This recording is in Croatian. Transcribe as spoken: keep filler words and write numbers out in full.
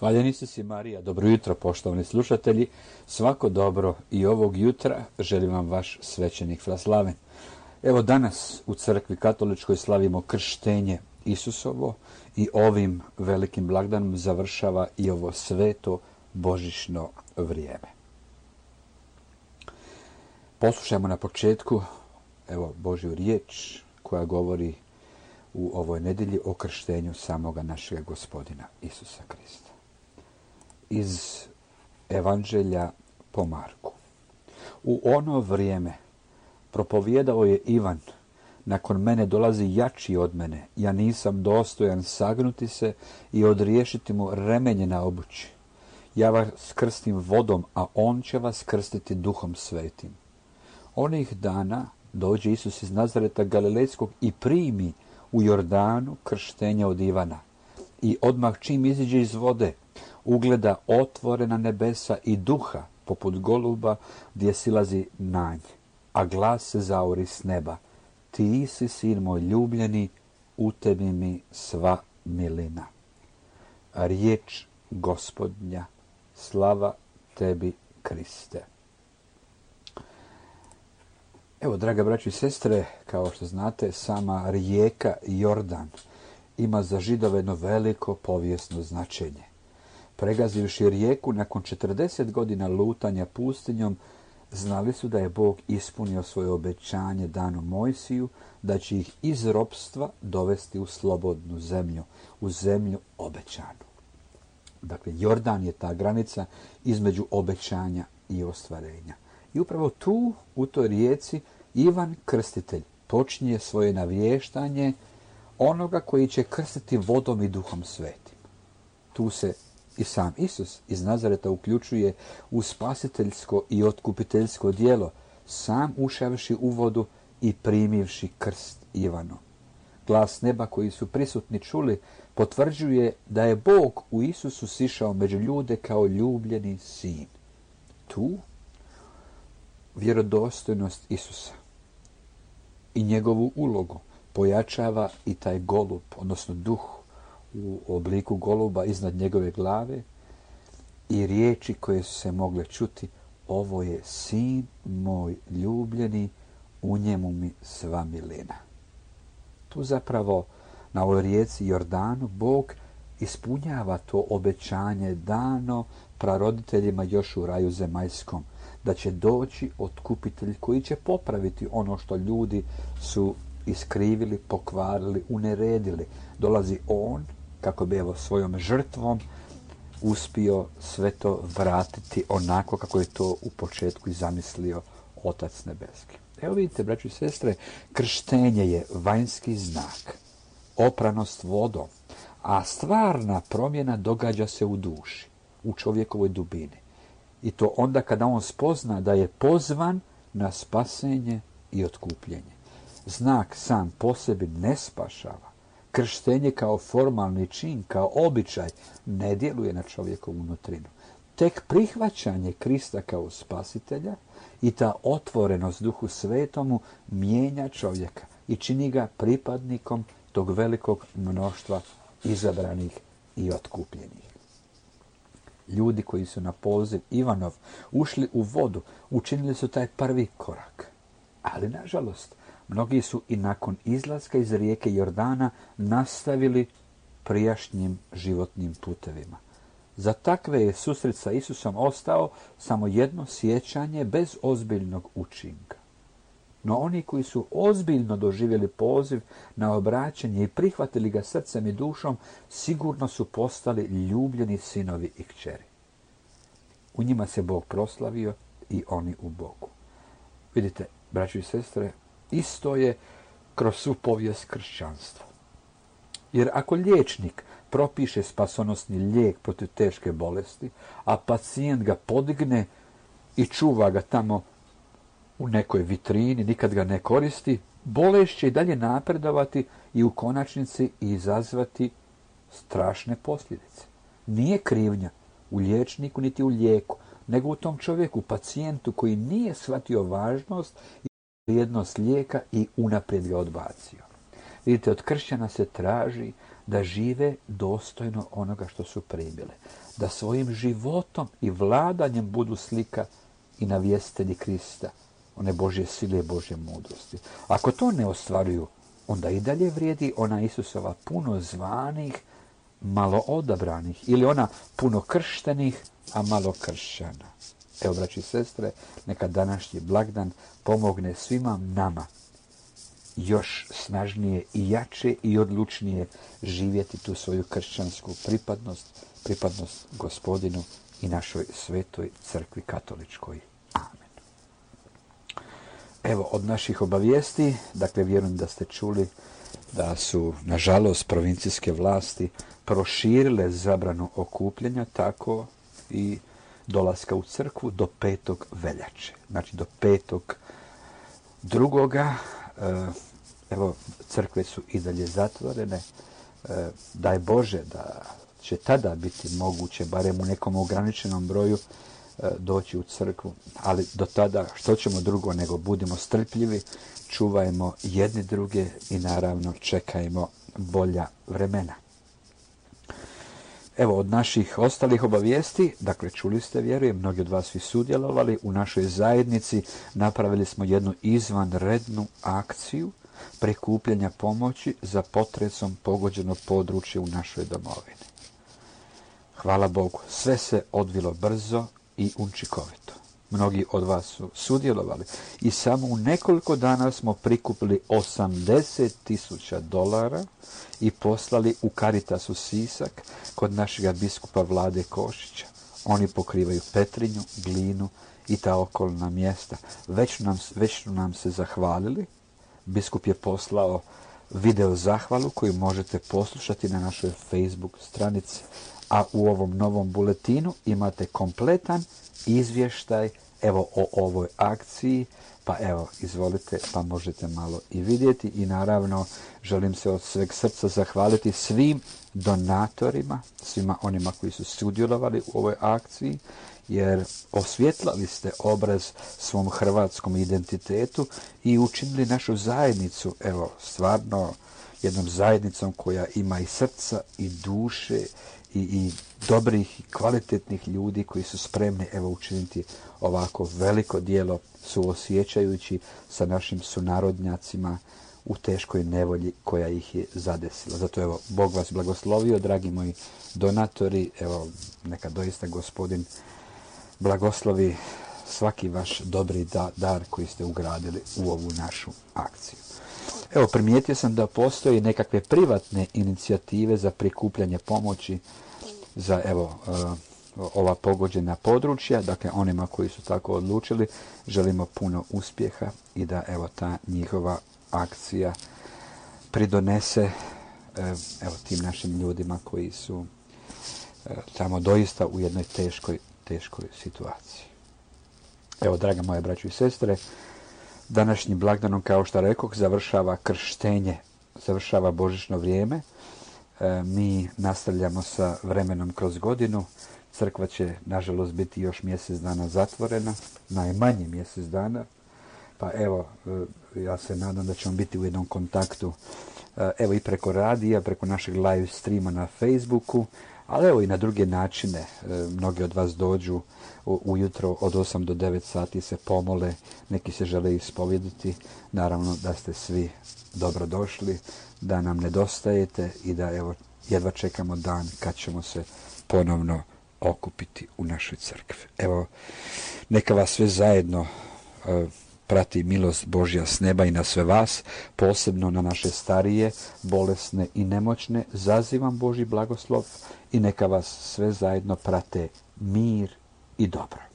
Hvaljeni su si Marija, dobro jutro poštovani slušatelji, svako dobro i ovog jutra želim vam vaš svećenik Fraslaven. Evo danas u crkvi katoličkoj slavimo krštenje Isusovo i ovim velikim blagdanom završava i ovo sveto božićno vrijeme. Poslušajmo na početku evo Božju riječ koja govori u ovoj nedjelji o krštenju samoga našega Gospodina Isusa Krista. Iz Evanđelja po Marku. U ono vrijeme propovijedao je Ivan: nakon mene dolazi jači od mene, ja nisam dostojan sagnuti se i odriješiti mu remenje na obući. Ja vas krstim vodom, a on će vas krstiti Duhom Svetim. Onih dana dođe Isus iz Nazareta Galilejskog i primi u Jordanu krštenje od Ivana. I odmah čim iziđe iz vode, ugleda otvorena nebesa i duha poput goluba gdje silazi na nj, a glas se zaori s neba: ti si sin moj ljubljeni, u tebi mi sva milina. Riječ Gospodnja, slava tebi Kriste. Evo, draga braćo i sestre, kao što znate, sama rijeka Jordan ima za Židove jedno veliko povijesno značenje. Pregazivši rijeku nakon četrdeset godina lutanja pustinjom, znali su da je Bog ispunio svoje obećanje dano Mojsiju, da će ih iz ropstva dovesti u slobodnu zemlju, u zemlju obećanu. Dakle, Jordan je ta granica između obećanja i ostvarenja. I upravo tu, u toj rijeci, Ivan Krstitelj počinje svoje navještanje onoga koji će krstiti vodom i Duhom Svetim. Tu se i sam Isus iz Nazareta uključuje u spasiteljsko i otkupiteljsko djelo, sam ušavši u vodu i primivši krst Ivanu. Glas neba koji su prisutni čuli potvrđuje da je Bog u Isusu sišao među ljude kao ljubljeni sin. Tu vjerodostojnost Isusa i njegovu ulogu pojačava i taj golub, odnosno duh u obliku goluba iznad njegove glave i riječi koje su se mogle čuti: ovo je sin moj ljubljeni, u njemu mi sva milina. Tu zapravo na ovoj rijeci Jordanu Bog ispunjava to obećanje dano praroditeljima još u raju zemaljskom, da će doći otkupitelj koji će popraviti ono što ljudi su iskrivili, pokvarili, uneredili. Dolazi on kako bi evo svojom žrtvom uspio sve to vratiti onako kako je to u početku i zamislio Otac nebeski. Evo vidite, braćo i sestre, krštenje je vanjski znak, opranost vodom, a stvarna promjena događa se u duši, u čovjekovoj dubini. I to onda kada on spozna da je pozvan na spasenje i otkupljenje. Znak sam po sebi ne spašava. Krštenje kao formalni čin, kao običaj, ne djeluje na čovjekovu unutrinu. Tek prihvaćanje Krista kao spasitelja i ta otvorenost Duhu Svetomu mijenja čovjeka i čini ga pripadnikom tog velikog mnoštva izabranih i otkupljenih. Ljudi koji su na poziv Ivanov ušli u vodu, učinili su taj prvi korak. Ali, nažalost, mnogi su i nakon izlaska iz rijeke Jordana nastavili prijašnjim životnim putevima. Za takve je susret sa Isusom ostao samo jedno sjećanje bez ozbiljnog učinka. No oni koji su ozbiljno doživjeli poziv na obraćanje i prihvatili ga srcem i dušom, sigurno su postali ljubljeni sinovi i kćeri. U njima se Bog proslavio i oni u Bogu. Vidite, braćo i sestre, isto je kroz svu povijest kršćanstva. Jer ako liječnik propiše spasonosni lijek protiv teške bolesti, a pacijent ga podigne i čuva ga tamo u nekoj vitrini, nikad ga ne koristi, bolest će i dalje napredovati i u konačnici izazvati strašne posljedice. Nije krivnja u liječniku niti u lijeku, nego u tom čovjeku, pacijentu koji nije shvatio važnost i vrijednost lijeka i unaprijed ga odbacio. Vidite, od kršćana se traži da žive dostojno onoga što su primile, da svojim životom i vladanjem budu slika i navjestitelji Krista, one Božje sile i Božje mudrosti. Ako to ne ostvaruju, onda i dalje vrijedi ona Isusova puno zvanih, malo odabranih, ili ona puno krštenih, a malo kršćana. Evo, braći i sestre, neka današnji blagdan pomogne svima nama još snažnije i jače i odlučnije živjeti tu svoju kršćansku pripadnost, pripadnost Gospodinu i našoj svetoj crkvi katoličkoj. Amen. Evo, od naših obavijesti, dakle, vjerujem da ste čuli da su, nažalost, provincijske vlasti proširile zabranu okupljanja, tako i dolaska u crkvu do petog veljače. Znači, do petog drugoga, evo, crkve su i dalje zatvorene. Daj Bože da će tada biti moguće, barem u nekom ograničenom broju, doći u crkvu. Ali do tada, što ćemo drugo nego budimo strpljivi, čuvajmo jedni druge i naravno čekajmo bolja vremena. Evo, od naših ostalih obavijesti, dakle, čuli ste, vjerujem, mnogi od vas su sudjelovali u našoj zajednici, napravili smo jednu izvanrednu akciju prikupljanja pomoći za potresom pogođeno područje u našoj domovini. Hvala Bogu, sve se odvilo brzo i učinkovito. Mnogi od vas su sudjelovali i samo u nekoliko dana smo prikupili osamdeset tisuća dolara i poslali u Caritasu Sisak kod našega biskupa Vlade Košića. Oni pokrivaju Petrinju, Glinu i ta okolna mjesta. Već nam, već su nam se zahvalili. Biskup je poslao video zahvalu koju možete poslušati na našoj Facebook stranici. A u ovom novom buletinu imate kompletan izvještaj evo o ovoj akciji, pa evo, izvolite, pa možete malo i vidjeti. I naravno, želim se od sveg srca zahvaliti svim donatorima, svima onima koji su sudjelovali u ovoj akciji, jer osvjetlali ste obraz svom hrvatskom identitetu i učinili našu zajednicu, evo, stvarno jednom zajednicom koja ima i srca i duše i, i dobrih i kvalitetnih ljudi koji su spremni, evo, učiniti ovako veliko djelo, suosjećajući sa našim sunarodnjacima u teškoj nevolji koja ih je zadesila. Zato, evo, Bog vas blagoslovio, dragi moji donatori, evo, neka doista Gospodin blagoslovi svaki vaš dobri da, dar koji ste ugradili u ovu našu akciju. Evo, primijetio sam da postoji nekakve privatne inicijative za prikupljanje pomoći za, evo, ova pogođena područja. Dakle, onima koji su tako odlučili želimo puno uspjeha i da, evo, ta njihova akcija pridonese, evo, tim našim ljudima koji su tamo doista u jednoj teškoj, teškoj situaciji. Evo, draga moje braćo i sestre, današnjim blagdanom, kao što rekoh, završava krštenje, završava božićno vrijeme. E, mi nastavljamo sa vremenom kroz godinu. Crkva će, nažalost, biti još mjesec dana zatvorena, najmanje mjesec dana. Pa evo, e, ja se nadam da ćemo biti u jednom kontaktu, e, evo, i preko radija, preko našeg live streama na Facebooku, ali evo i na druge načine. E, mnogi od vas dođu ujutro od osam do devet sati, se pomole, neki se žele ispovjediti. Naravno da ste svi dobrodošli, da nam nedostajete i da, evo, jedva čekamo dan kad ćemo se ponovno okupiti u našoj crkvi. Evo, neka vas sve zajedno e, prati milost Božja s neba i na sve vas, posebno na naše starije, bolesne i nemoćne. Zazivam Božji blagoslov i neka vas sve zajedno prate mir i dobro.